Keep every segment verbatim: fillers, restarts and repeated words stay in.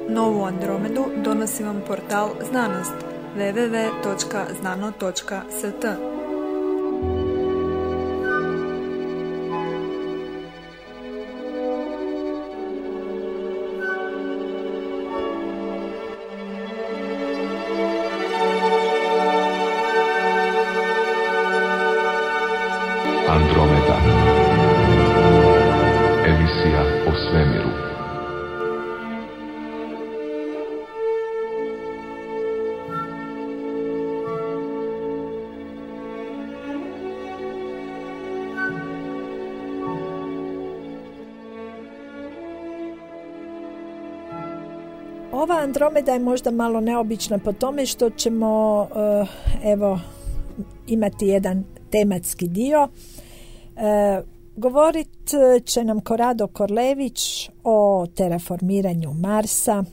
Novu Andromedu donosi vam portal Znanost w w w točka znano točka s t. Andromeda. Emisija o svemiru. Ova Andromeda je možda malo neobična po tome što ćemo uh, evo imati jedan tematski dio. Uh, govorit će nam Korado Korlević o terraformiranju Marsa,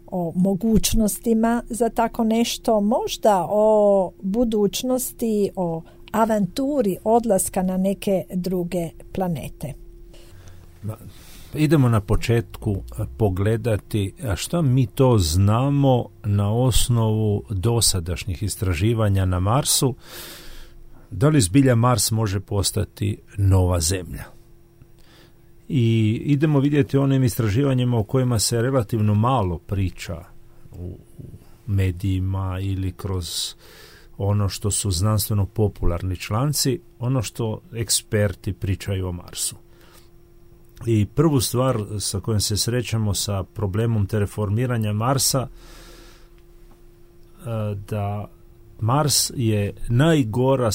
o mogućnostima za tako nešto, možda o budućnosti, o avanturi odlaska na neke druge planete. Idemo na početku pogledati što mi to znamo na osnovu dosadašnjih istraživanja na Marsu. Da li zbilja Mars može postati nova Zemlja? I idemo vidjeti onim istraživanjima o kojima se relativno malo priča u medijima ili kroz ono što su znanstveno popularni članci, ono što eksperti pričaju o Marsu. I prvu stvar sa kojom se srećemo sa problemom terraformiranja Marsa, da Mars je najgora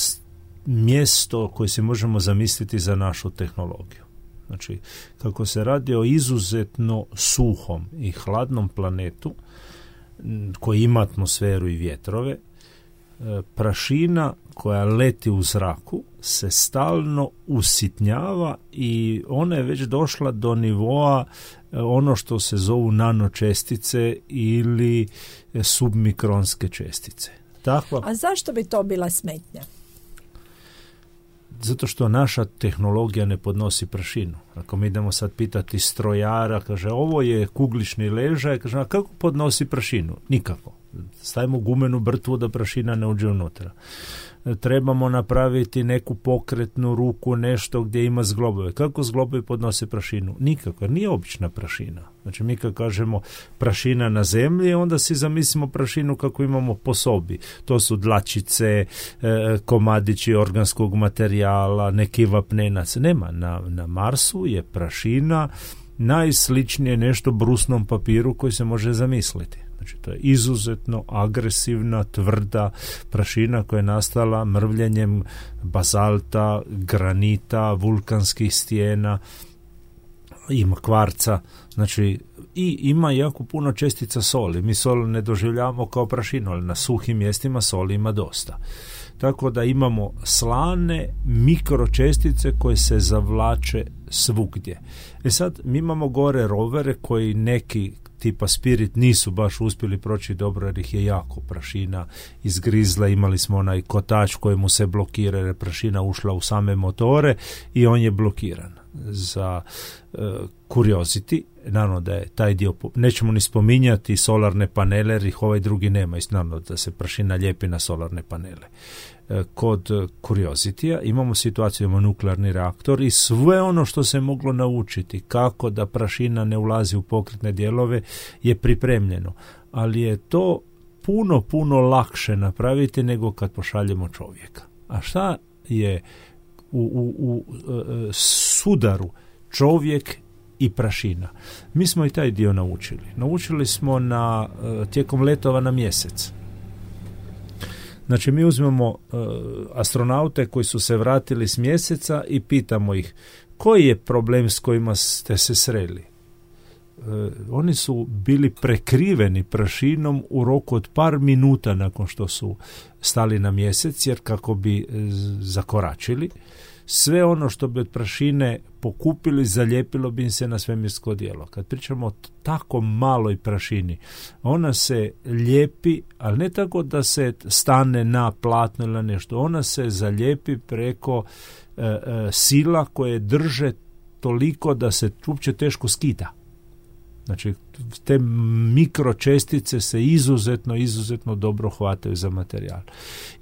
mjesto koje si možemo zamisliti za našu tehnologiju. Znači, kako se radi o izuzetno suhom i hladnom planetu koji ima atmosferu i vjetrove, prašina koja leti u zraku se stalno usitnjava i ona je već došla do nivoa ono što se zovu nanočestice ili submikronske čestice. Takva... A zašto bi to bila smetnja? Zato što naša tehnologija ne podnosi prašinu. Ako mi idemo sad pitati strojara, kaže ovo je kuglični ležaj, kaže a kako podnosi prašinu? Nikako. Stavimo gumenu brtvu da prašina ne uđe unutra. Trebamo napraviti neku pokretnu ruku, nešto gdje ima zglobove. Kako zglobovi podnose prašinu? Nikako, jer nije obična prašina. Znači mi kad kažemo prašina na zemlji, onda si zamislimo prašinu kako imamo po sobi. To su dlačice, komadići organskog materijala, neki vapnenac. Nema, na, na Marsu je prašina najsličnije nešto brusnom papiru koji se može zamisliti. Znači, to je izuzetno agresivna, tvrda prašina koja je nastala mrvljenjem bazalta, granita, vulkanskih stijena, ima kvarca, znači i ima jako puno čestica soli. Mi sol ne doživljavamo kao prašinu, ali na suhim mjestima soli ima dosta. Tako da imamo slane mikročestice koje se zavlače svugdje. E sad, mi imamo gore rovere koji neki tipa Spirit nisu baš uspjeli proći dobro jer ih je jako prašina izgrizla. Imali smo onaj kotač kojemu se blokira jer je prašina ušla u same motore i on je blokiran. Za uh, Curiosity, naravno da je taj dio, nećemo ni spominjati solarne panele jer ih ovaj drugi nema, i naravno da se prašina lijepi na solarne panele. Uh, kod Curiosity-a imamo situaciju, imamo nuklearni reaktor i sve ono što se moglo naučiti kako da prašina ne ulazi u pokretne dijelove je pripremljeno, ali je to puno, puno lakše napraviti nego kad pošaljemo čovjeka. A šta je u, u, u uh, sudaru čovjek i prašina? Mi smo i taj dio naučili. Naučili smo na, uh, tijekom letova na mjesec. Znači mi uzmemo uh, astronaute koji su se vratili s mjeseca i pitamo ih koji je problem s kojima ste se sreli. Uh, oni su bili prekriveni prašinom u roku od par minuta nakon što su stali na mjesec, jer kako bi uh, zakoračili, sve ono što bi od prašine pokupili, zalijepilo bi im se na svemirsko odijelo. Kad pričamo o tako maloj prašini, ona se lijepi, ali ne tako da se stane na platno ili nešto. Ona se zalijepi preko e, e, sila koje drže toliko da se uopće teško skida. Znači, te mikročestice se izuzetno, izuzetno dobro hvataju za materijal.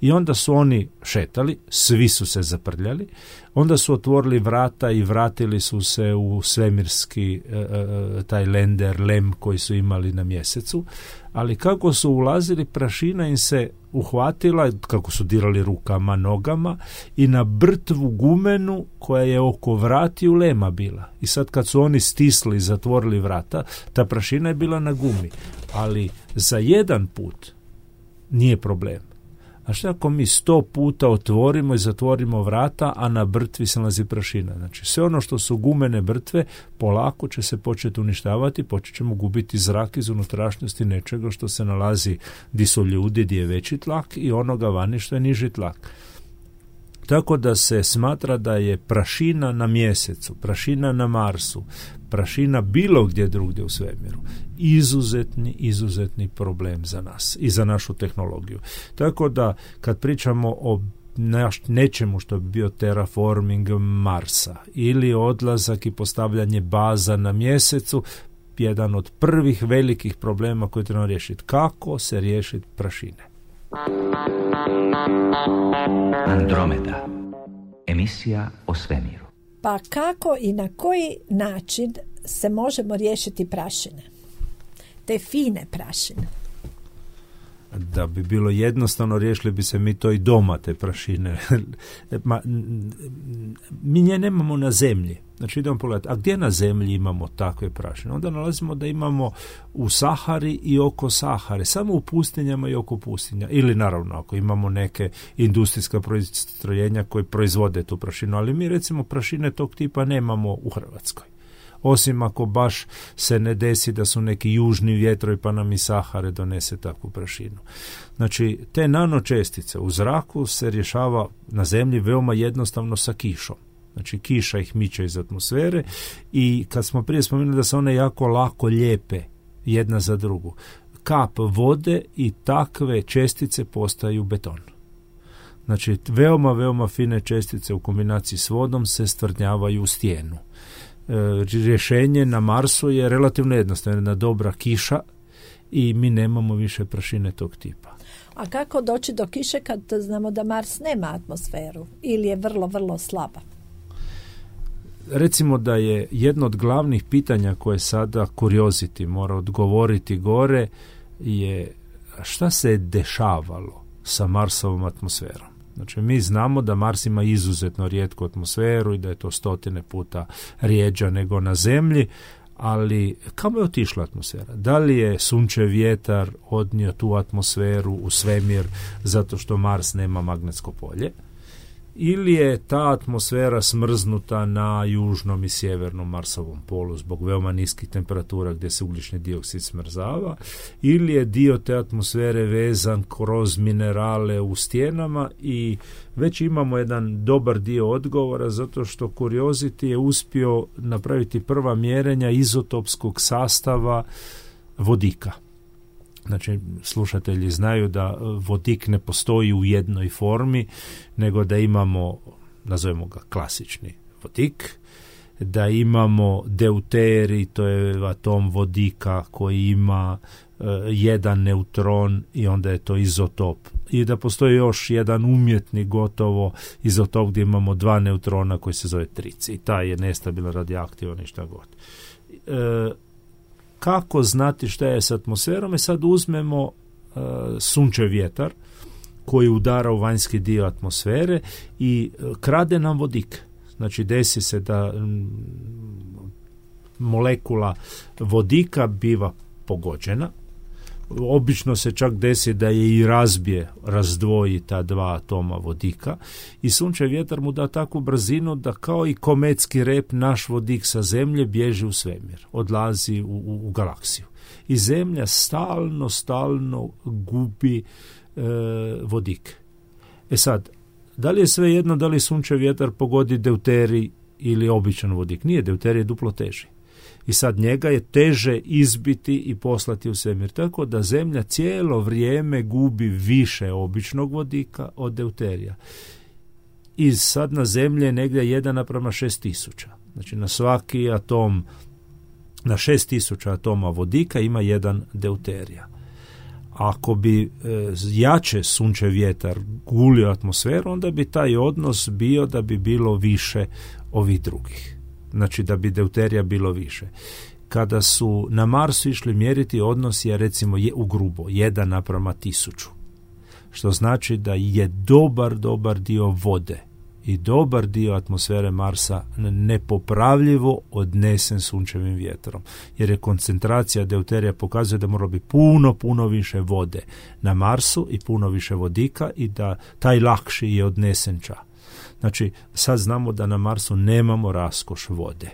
I onda su oni šetali, svi su se zaprljali, onda su otvorili vrata i vratili su se u svemirski e, taj lender, lem koji su imali na mjesecu, ali kako su ulazili, prašina im se uhvatila, kako su dirali rukama, nogama i na brtvu gumenu koja je oko vratiju lema bila. I sad kad su oni stisli i zatvorili vrata, ta prašina je bila na gumi, ali za jedan put nije problem. A što ako mi sto puta otvorimo i zatvorimo vrata, a na brtvi se nalazi prašina? Znači, sve ono što su gumene brtve, polako će se početi uništavati, počet ćemo gubiti zrak iz unutrašnjosti nečega što se nalazi di su ljudi, di je veći tlak, i onoga vani što je niži tlak. Tako da se smatra da je prašina na mjesecu, prašina na Marsu, prašina bilo gdje drugdje u svemiru izuzetni, izuzetni problem za nas i za našu tehnologiju. Tako da kad pričamo o nečemu što bi bio terraforming Marsa ili odlazak i postavljanje baza na mjesecu, jedan od prvih velikih problema koji trebamo riješiti. Kako se riješiti prašine? Andromeda, emisija o svemiru. Pa kako i na koji način se možemo riješiti prašine? Te fine prašine. Da bi bilo jednostavno, riješili bi se mi to i doma, te prašine. Ma, mi nje nemamo na zemlji. Znači idemo pogledati, a gdje na zemlji imamo takve prašine? Onda nalazimo da imamo u Sahari i oko Sahare, samo u pustinjama i oko pustinja. Ili naravno ako imamo neke industrijska postrojenja koji proizvode tu prašinu, ali mi recimo prašine tog tipa nemamo u Hrvatskoj. Osim ako baš se ne desi da su neki južni vjetrovi pa nam i Sahare donese takvu prašinu. Znači, te nanočestice u zraku se rješava na zemlji veoma jednostavno sa kišom. Znači, kiša ih miče iz atmosfere i kad smo prije spomenuli da se one jako lako lijepe jedna za drugu, kap vode i takve čestice postaju beton. Znači, veoma, veoma fine čestice u kombinaciji s vodom se stvrdnjavaju u stijenu. Rješenje na Marsu je relativno jednostavno, jedna dobra kiša i mi nemamo više prašine tog tipa. A kako doći do kiše kad znamo da Mars nema atmosferu ili je vrlo, vrlo slaba? Recimo da je jedno od glavnih pitanja koje sada Curiosity mora odgovoriti gore je šta se je dešavalo sa Marsovom atmosferom. Znači, mi znamo da Mars ima izuzetno rijetku atmosferu i da je to stotine puta rijeđa nego na Zemlji, ali kamo je otišla atmosfera? Da li je sunčev vjetar odnio tu atmosferu u svemir zato što Mars nema magnetsko polje? Ili je ta atmosfera smrznuta na južnom i sjevernom Marsovom polu zbog veoma niskih temperatura gdje se ugljični dioksid smrzava, ili je dio te atmosfere vezan kroz minerale u stijenama, i već imamo jedan dobar dio odgovora zato što Curiosity je uspio napraviti prva mjerenja izotopskog sastava vodika. Znači, slušatelji znaju da vodik ne postoji u jednoj formi, nego da imamo, nazovemo ga klasični vodik, da imamo deuterij, to je atom vodika koji ima uh, jedan neutron i onda je to izotop. I da postoji još jedan umjetni gotovo izotop gdje imamo dva neutrona koji se zove trici. I taj je nestabilan, radioaktivan i šta god. Uh, Kako znati šta je s atmosferom? I sad uzmemo uh, sunčev vjetar koji udara u vanjski dio atmosfere i uh, krade nam vodik. Znači, desi se da um, molekula vodika biva pogođena. Obično se čak desi da je i razbije, razdvoji ta dva atoma vodika i sunčev vjetar mu da takvu brzinu da kao i kometski rep naš vodik sa Zemlje bježi u svemir, odlazi u, u, u galaksiju. I Zemlja stalno, stalno gubi e, vodik. E sad, da li je sve jedno da li sunčev vjetar pogodi deuterij ili običan vodik? Nije, deuterij je duplo teži. I sad njega je teže izbiti i poslati u svemir. Tako da Zemlja cijelo vrijeme gubi više običnog vodika od deuterija. I sad na Zemlji je negdje jedan naprema šest tisuća. Znači na svaki atom na šest tisuća atoma vodika ima jedan deuterija. Ako bi e, jače sunčev vjetar gulio atmosferu, onda bi taj odnos bio da bi bilo više ovih drugih. Znači da bi deuterija bilo više. Kada su na Marsu išli mjeriti, odnos je recimo je u grubo jedan naprama tisuću. Što znači da je dobar, dobar dio vode i dobar dio atmosfere Marsa nepopravljivo odnesen sunčevim vjetrom. Jer je koncentracija deuterija pokazuje da mora biti puno, puno više vode na Marsu i puno više vodika i da taj lakši je odnesen ča. Znači, sad znamo da na Marsu nemamo raskoš vode.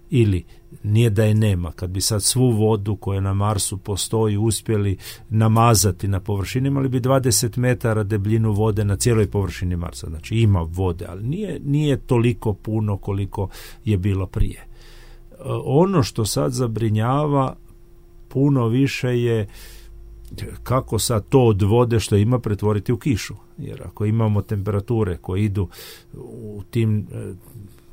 Ili nije da je nema, kad bi sad svu vodu koja na Marsu postoji uspjeli namazati na površini, imali bi dvadeset metara debljinu vode na cijeloj površini Marsa. Znači ima vode, ali nije, nije toliko puno koliko je bilo prije. Ono što sad zabrinjava puno više je kako sad to od vode što ima pretvoriti u kišu. Jer ako imamo temperature koje idu u tim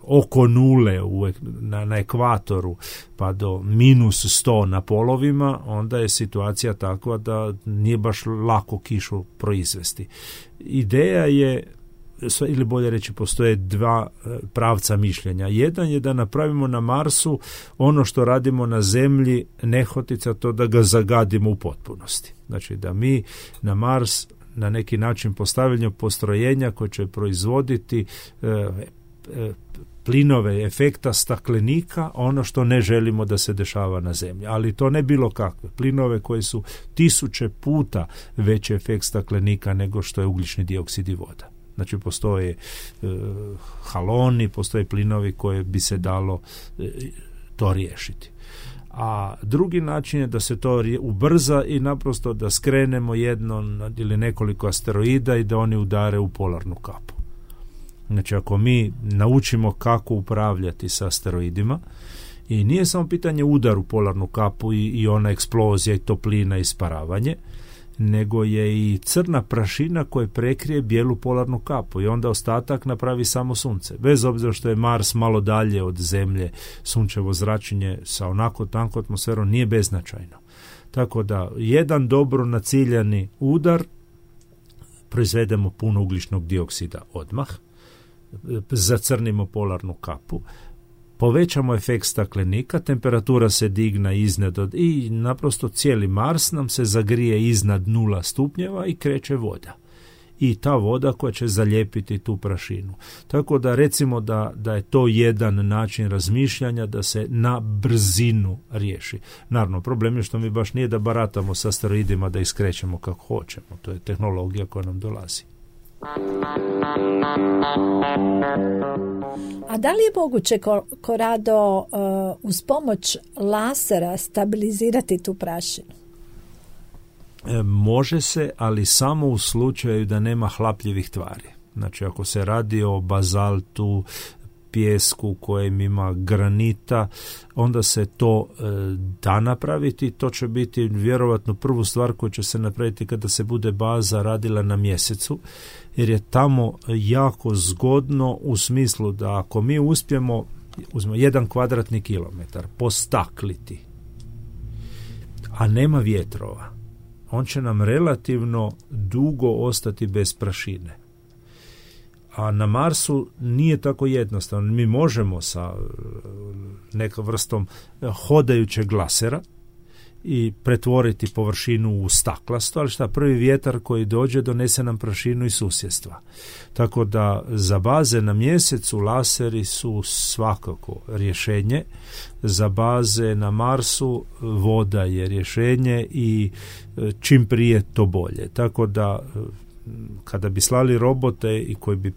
oko nule u, na, na ekvatoru pa do minus sto na polovima, onda je situacija takva da nije baš lako kišu proizvesti. Ideja je, ili bolje reći, postoje dva pravca mišljenja. Jedan je da napravimo na Marsu ono što radimo na Zemlji nehotica, to da ga zagadimo u potpunosti. Znači da mi na Mars na neki način postavljamo postrojenja koje će proizvoditi e, e, plinove efekta staklenika, ono što ne želimo da se dešava na Zemlji. Ali to ne bilo kakve. Plinove koji su tisuće puta veći efekt staklenika nego što je ugljični dioksid i voda. Znači postoje e, haloni, postoje plinovi koje bi se dalo e, to riješiti. A drugi način je da se to ubrza i naprosto da skrenemo jedno ili nekoliko asteroida i da oni udare u polarnu kapu. Znači ako mi naučimo kako upravljati sa asteroidima, i nije samo pitanje udar u polarnu kapu i, i ona eksplozija i toplina i isparavanje, nego je i crna prašina koja prekrije bijelu polarnu kapu i onda ostatak napravi samo sunce. Bez obzira što je Mars malo dalje od Zemlje, sunčevo zračenje sa onako tankom atmosferom nije beznačajno. Tako da jedan dobro naciljani udar proizvedemo puno ugljičnog dioksida odmah, zacrnimo polarnu kapu, povećamo efekt staklenika, temperatura se digna iznad od, i naprosto cijeli Mars nam se zagrije iznad nula stupnjeva i kreće voda. I ta voda koja će zalijepiti tu prašinu. Tako da recimo da, da je to jedan način razmišljanja da se na brzinu riješi. Naravno, problem je što mi baš nije da baratamo sa asteroidima da iskrećemo kako hoćemo. To je tehnologija koja nam dolazi. A da li je moguće, Korado, uh, uz pomoć lasera stabilizirati tu prašinu? E, može se, ali samo u slučaju da nema hlapljivih tvari. Znači, ako se radi o bazaltu, pijesku kojem ima granita, onda se to e, da napraviti. To će biti vjerovatno prvu stvar koju će se napraviti kada se bude baza radila na mjesecu, jer je tamo jako zgodno u smislu da ako mi uspijemo, uzmemo jedan kvadratni kilometar, postakliti, a nema vjetrova, on će nam relativno dugo ostati bez prašine. A na Marsu nije tako jednostavno. Mi možemo sa nekom vrstom hodajućeg glasera i pretvoriti površinu u staklasto, ali šta, prvi vjetar koji dođe donese nam prašinu iz susjedstva. Tako da za baze na mjesecu laseri su svakako rješenje. Za baze na Marsu voda je rješenje i čim prije to bolje. Tako da kada bi slali robote i koji bi,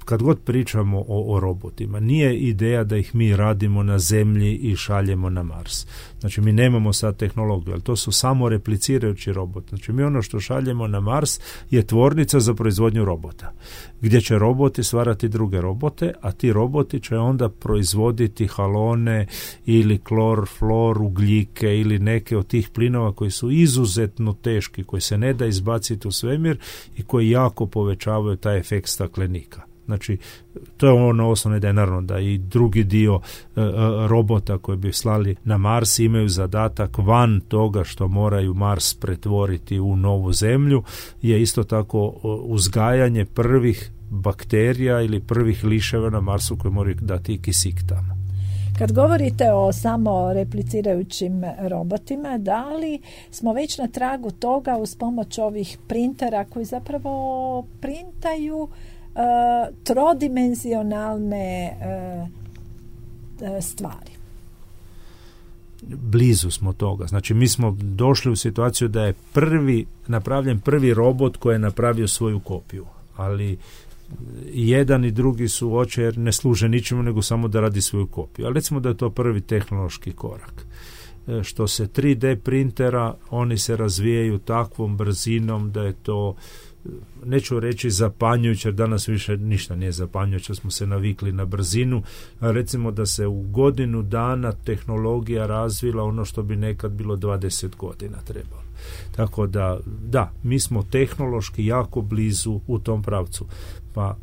kad god pričamo o, o robotima, nije ideja da ih mi radimo na Zemlji i šaljemo na Mars. Znači mi nemamo sad tehnologiju, ali to su samo replicirajući robot. Znači mi ono što šaljemo na Mars je tvornica za proizvodnju robota, gdje će roboti stvarati druge robote, a ti roboti će onda proizvoditi halone ili klor, flor, ugljike ili neke od tih plinova koji su izuzetno teški, koji se ne da izbaciti u svemir i koji jako povećavaju taj efekt staklenika. Znači, to je ono osnovno da je naravno da i drugi dio e, e, robota koji bi slali na Mars imaju zadatak van toga što moraju Mars pretvoriti u novu zemlju, je isto tako uzgajanje prvih bakterija ili prvih liševa na Marsu koji moraju dati kisik tamo. Kad govorite o samo replicirajućim robotima, da li smo već na tragu toga uz pomoć ovih printera koji zapravo printaju uh, trodimenzionalne uh, stvari? Blizu smo toga. Znači, mi smo došli u situaciju da je prvi napravljen prvi robot koji je napravio svoju kopiju, ali jedan i drugi su oče jer ne služe ničemu nego samo da radi svoju kopiju. Ali recimo da je to prvi tehnološki korak. E, što se tri D printera, oni se razvijaju takvom brzinom da je to, neću reći zapanjujuće, jer danas više ništa nije zapanjujuće, smo se navikli na brzinu, a recimo da se u godinu dana tehnologija razvila ono što bi nekad bilo dvadeset godina trebalo. Tako da, da, mi smo tehnološki jako blizu u tom pravcu. Pa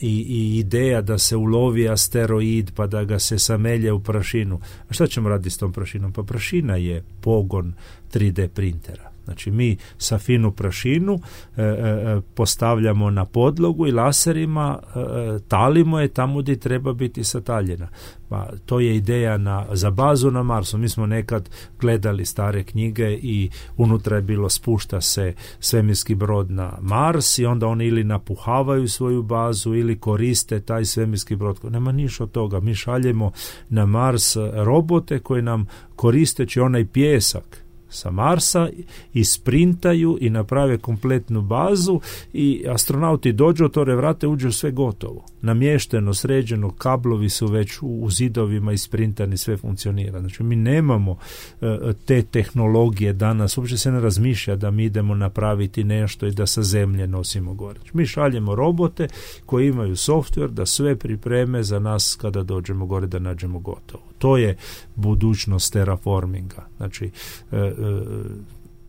i, i ideja da se ulovi asteroid pa da ga se samelje u prašinu. A šta ćemo raditi s tom prašinom? Pa prašina je pogon tri D printera. Znači mi sa finu prašinu e, e, postavljamo na podlogu i laserima e, talimo je tamo gdje treba biti sataljena. Pa to je ideja na, za bazu na Marsu. Mi smo nekad gledali stare knjige i unutra je bilo spušta se svemirski brod na Mars i onda oni ili napuhavaju svoju bazu ili koriste taj svemirski brod. Nema ništa od toga. Mi šaljemo na Mars robote koji nam koristeći onaj pijesak sa Marsa isprintaju i naprave kompletnu bazu i astronauti dođu, otvore vrate, uđu sve gotovo. Namješteno, sređeno, kablovi su već u, u zidovima isprintani, sve funkcionira. Znači mi nemamo uh, te tehnologije danas, uopće se ne razmišlja da mi idemo napraviti nešto i da sa zemlje nosimo gore. Mi šaljemo robote koji imaju softver da sve pripreme za nas kada dođemo gore da nađemo gotovo. To je budućnost terraforminga. Znači, e, e,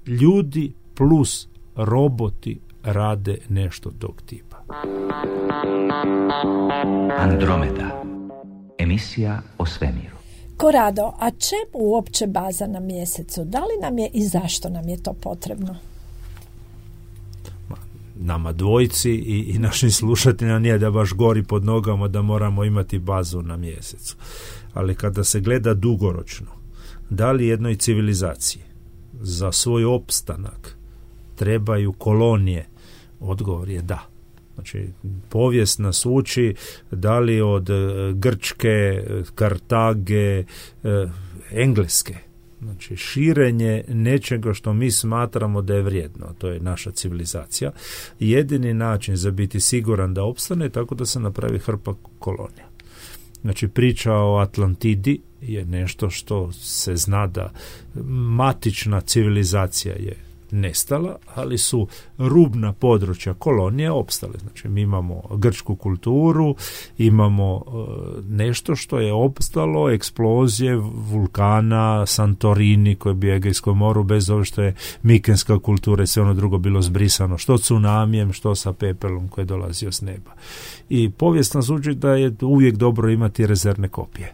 ljudi plus roboti rade nešto tog tipa. Andromeda. Emisija o svemiru. Korado, a čemu uopće baza na mjesecu? Da li nam je i zašto nam je to potrebno? Nama dvojici i, i našim slušateljima nije da baš gori pod nogama da moramo imati bazu na mjesecu. Ali kada se gleda dugoročno, da li jednoj civilizaciji za svoj opstanak trebaju kolonije, odgovor je da. Znači, povijest nas uči da li od Grčke, Kartage, Engleske. Znači, širenje nečega što mi smatramo da je vrijedno, to je naša civilizacija. Jedini način za biti siguran da opstane je tako da se napravi hrpa kolonija. Znači, priča o Atlantidi je nešto što se zna da matična civilizacija je nestala, ali su rubna područja kolonije opstale. Znači, mi imamo grčku kulturu, imamo uh, nešto što je opstalo, eksplozije vulkana, Santorini koji je bio u Egejskom moru, bez ovo što je mikenska kultura i sve ono drugo bilo zbrisano, što tsunamijem, što sa pepelom koji je dolazio s neba. I povijest nas uči da je uvijek dobro imati rezervne kopije.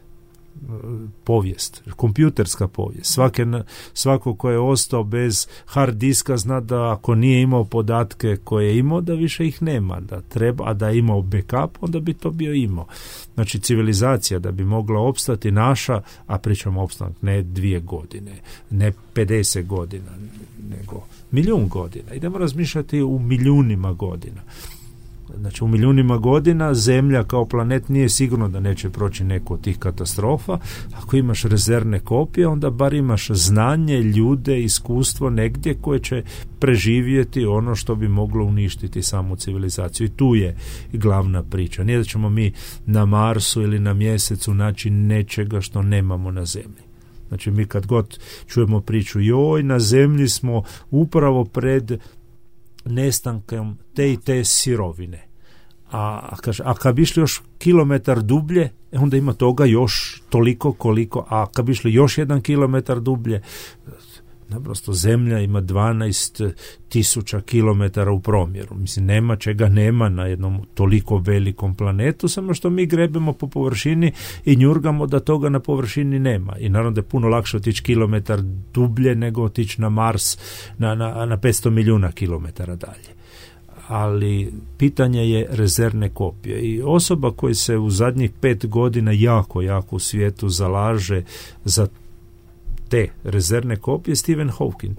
Povijest, kompjuterska povijest. Svake, svako ko je ostao bez hard diska zna da ako nije imao podatke koje je imao, da više ih nema, da treba, a da je imao backup, onda bi to bio imao. Znači, civilizacija da bi mogla opstati naša, a pričamo opstanak ne dvije godine, ne pedeset godina, nego milijun godina. Idemo razmišljati u milijunima godina. Znači, u milijunima godina Zemlja kao planet nije sigurno da neće proći neku od tih katastrofa. Ako imaš rezervne kopije, onda bar imaš znanje, ljude, iskustvo negdje koje će preživjeti ono što bi moglo uništiti samu civilizaciju. I tu je glavna priča. Nije da ćemo mi na Marsu ili na Mjesecu naći nečega što nemamo na Zemlji. Znači, mi kad god čujemo priču, joj, na Zemlji smo upravo pred nestankom te i te sirovine. A, kaže, a kad bi išli još kilometar dublje, onda ima toga još toliko koliko, a kad bi išli još jedan kilometar dublje, naprosto Zemlja ima dvanaest tisuća kilometara u promjeru. Mislim, nema čega nema na jednom toliko velikom planetu, samo što mi grebemo po površini i njurgamo da toga na površini nema. I naravno da je puno lakše otići kilometar dublje nego otići na Mars na, na, na petsto milijuna kilometara dalje. Ali pitanje je rezervne kopije. I osoba koja se u zadnjih pet godina jako, jako u svijetu zalaže za te rezervne kopije, Stephen Hawking.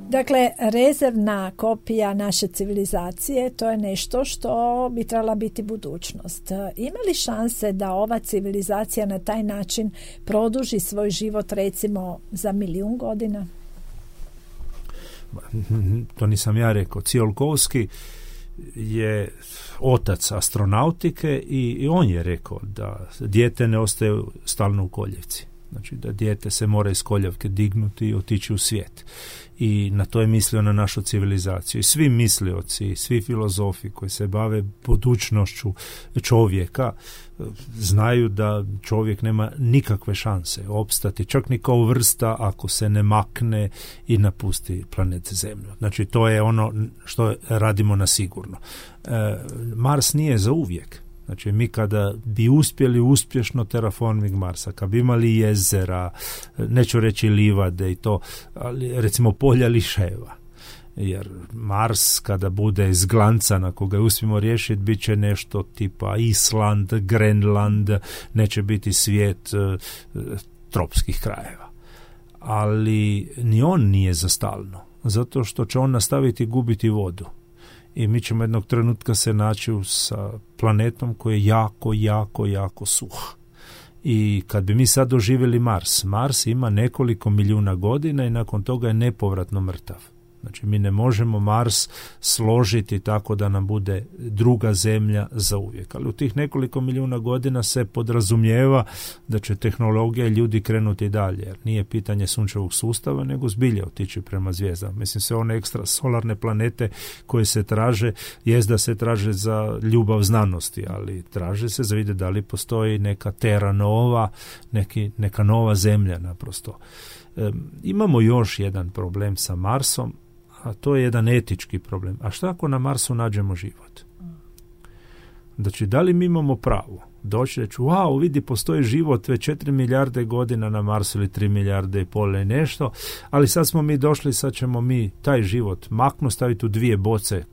Dakle, rezervna kopija naše civilizacije, to je nešto što bi trebala biti budućnost. Ima li šanse da ova civilizacija na taj način produži svoj život recimo za milijun godina? To nisam ja rekao. Tsiolkovski je otac astronautike i, i on je rekao da dijete ne ostaje stalno u koljevci. Znači da dijete se mora iz koljevke dignuti i otići u svijet. I na to je mislio na našu civilizaciju. I svi mislioci, svi filozofi koji se bave budućnošću čovjeka znaju da čovjek nema nikakve šanse opstati, čak ni kao vrsta, ako se ne makne i napusti planet Zemlju. Znači to je ono što radimo na sigurno. E, Mars nije za uvijek. Znači mi kada bi uspjeli uspješno terraforming Marsa, kad bi imali jezera, neću reći livade i to, ali recimo polja liševa, jer Mars kada bude izglancan, ako ga uspijemo riješiti, bit će nešto tipa Island, Grenland, neće biti svijet e, tropskih krajeva. Ali ni on nije za stalno, zato što će on nastaviti gubiti vodu. I mi ćemo jednog trenutka se naći sa planetom koji je jako, jako, jako suh. I kad bi mi sad doživjeli Mars, Mars ima nekoliko milijuna godina i nakon toga je nepovratno mrtav. Znači mi ne možemo Mars složiti tako da nam bude druga zemlja za uvijek. Ali u tih nekoliko milijuna godina se podrazumijeva da će tehnologija i ljudi krenuti dalje. Jer nije pitanje sunčevog sustava, nego zbilje otići prema zvijezdama. Mislim, sve one ekstra solarne planete koje se traže, jest da se traže za ljubav znanosti, ali traže se za vidjeti da li postoji neka Terra Nova, neki, neka nova zemlja naprosto. E, imamo još jedan problem sa Marsom, a to je jedan etički problem. A šta ako na Marsu nađemo život? Znači, da li mi imamo pravo doći reći, wow, vidi, postoji život već četiri milijarde godina na Marsu ili tri milijarde i pol i nešto, ali sad smo mi došli, sad ćemo mi taj život maknu, staviti u dvije boce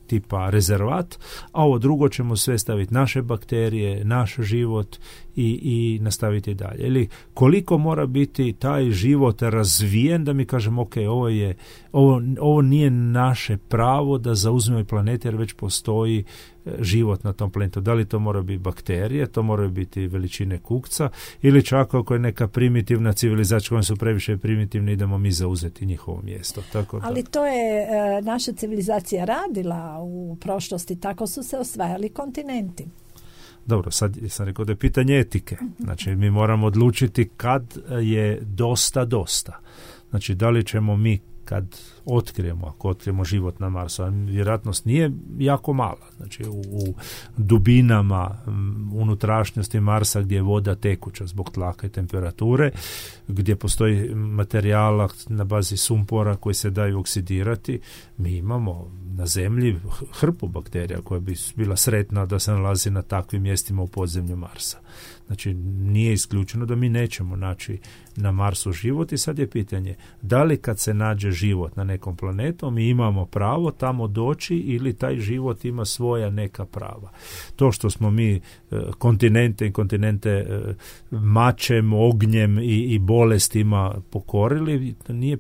tipa rezervat, a ovo drugo ćemo sve staviti naše bakterije, naš život i, i nastaviti dalje. Ili koliko mora biti taj život razvijen da mi kažemo, ok, ovo, je, ovo, ovo nije naše pravo da zauzmemo planet jer već postoji život na tom planetu. Da li to mora biti bakterije, to moraju biti veličine kukca ili čak ako je neka primitivna civilizacija koja su previše primitivni, idemo mi zauzeti njihovo mjesto. Tako da. Ali to je e, naša civilizacija radila u prošlosti, tako su se osvajali kontinenti. Dobro, sad sam rekao da je pitanje etike. Znači, mi moramo odlučiti kad je dosta dosta. Znači, da li ćemo mi kad otkrijemo, ako otkrijemo život na Marsu, a vjerojatnost nije jako mala. Znači, u, u dubinama um, unutrašnjosti Marsa gdje je voda tekuća zbog tlaka i temperature, gdje postoji materijala na bazi sumpora koji se daju oksidirati, mi imamo na Zemlji hrpu bakterija koja bi bila sretna da se nalazi na takvim mjestima u podzemlju Marsa. Znači, nije isključeno da mi nećemo naći na Marsu život i sad je pitanje, da li kad se nađe život na nekom planetu, mi imamo pravo tamo doći ili taj život ima svoja neka prava. To što smo mi e, kontinente i kontinente e, mačem, ognjem i, i bolestima pokorili, nije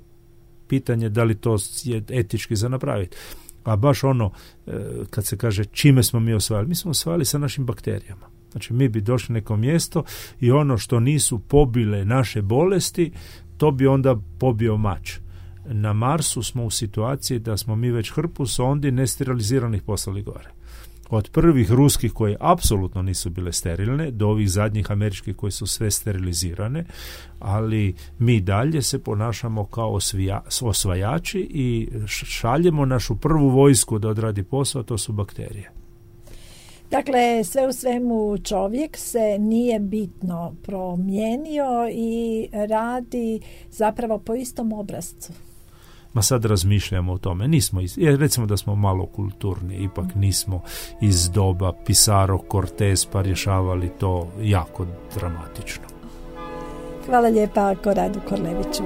pitanje da li to je etički za napraviti. A baš ono, e, kad se kaže čime smo mi osvajali, mi smo osvajali sa našim bakterijama. Znači, mi bi došli na neko mjesto i ono što nisu pobile naše bolesti, to bi onda pobio mač. Na Marsu smo u situaciji da smo mi već hrpu sondi nesteriliziranih poslali gore. Od prvih ruskih koje apsolutno nisu bile sterilne, do ovih zadnjih američkih koje su sve sterilizirane, ali mi dalje se ponašamo kao osvija, osvajači i šaljemo našu prvu vojsku da odradi posao, to su bakterije. Dakle, sve u svemu čovjek se nije bitno promijenio i radi zapravo po istom obrascu. Ma sad razmišljamo o tome. Nismo iz, jer recimo da smo malo kulturni, ipak nismo iz doba Pizarro, Cortez pa rješavali to jako dramatično. Hvala lijepa Koradu Korleviću.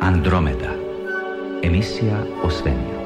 Andromeda. Emisija o svemiru.